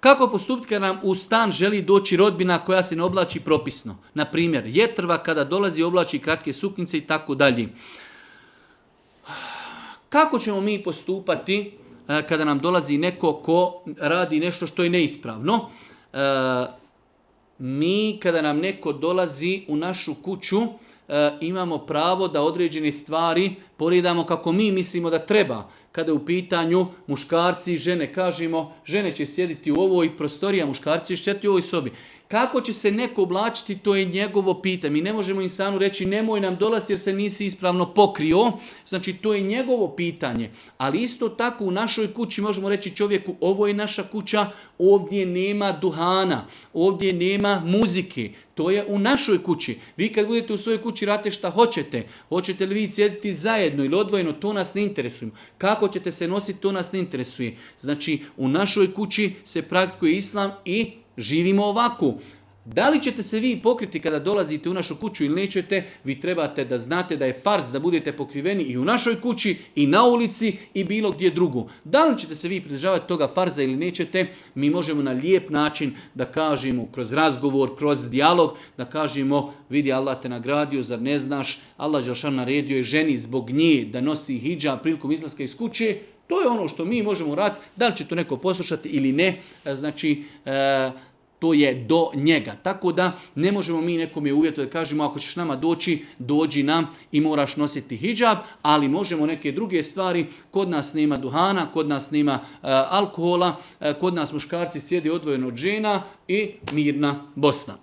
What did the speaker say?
Kako postupiti kada nam u stan želi doći rodbina koja se ne oblači propisno? Na primjer, jetrva kada dolazi oblači kratke suknjice i tako dalje. Kako ćemo mi postupati kada nam dolazi neko ko radi nešto što je neispravno? Mi kada nam neko dolazi u našu kuću, imamo pravo da određene stvari poredamo kako mi mislimo da treba. Kada je u pitanju muškarci i žene, kažemo žene će sjediti u ovoj prostoriji, a muškarci će sjediti u ovoj sobi. Kako će se neko oblačiti, to je njegovo pitanje. Mi ne možemo insanu reći nemoj nam dolaziti jer se nisi ispravno pokrio. Znači to je njegovo pitanje. Ali isto tako u našoj kući možemo reći čovjeku ovo je naša kuća, ovdje nema duhana, ovdje nema muzike. To je u našoj kući. Vi kad budete u svojoj kući radite šta hoćete. Hoćete li vi sjediti zajedno ili odvojeno, to nas ne interesuje. Kako ćete se nositi, to nas ne interesuje. Znači u našoj kući se praktikuje islam i živimo ovako. Da li ćete se vi pokriti kada dolazite u našu kuću ili nećete, vi trebate da znate da je farz da budete pokriveni i u našoj kući, i na ulici, i bilo gdje drugo. Da li ćete se vi pridržavati toga farza ili nećete, mi možemo na lijep način da kažemo, kroz razgovor, kroz dijalog, da kažemo, vidi Allah te nagradio, zar ne znaš, Allah dželešanu naredio je ženi zbog nje da nosi hidžab prilikom izlaska iz kuće. To je ono što mi možemo raditi, da li će to neko poslušati ili ne, znači to je do njega. Tako da ne možemo mi nekome uvjetovati da kažemo ako ćeš nama doći, dođi nam i moraš nositi hidžab, ali možemo neke druge stvari, kod nas nema duhana, kod nas nema alkohola, kod nas muškarci sjedi odvojeno od žena i mirna Bosna.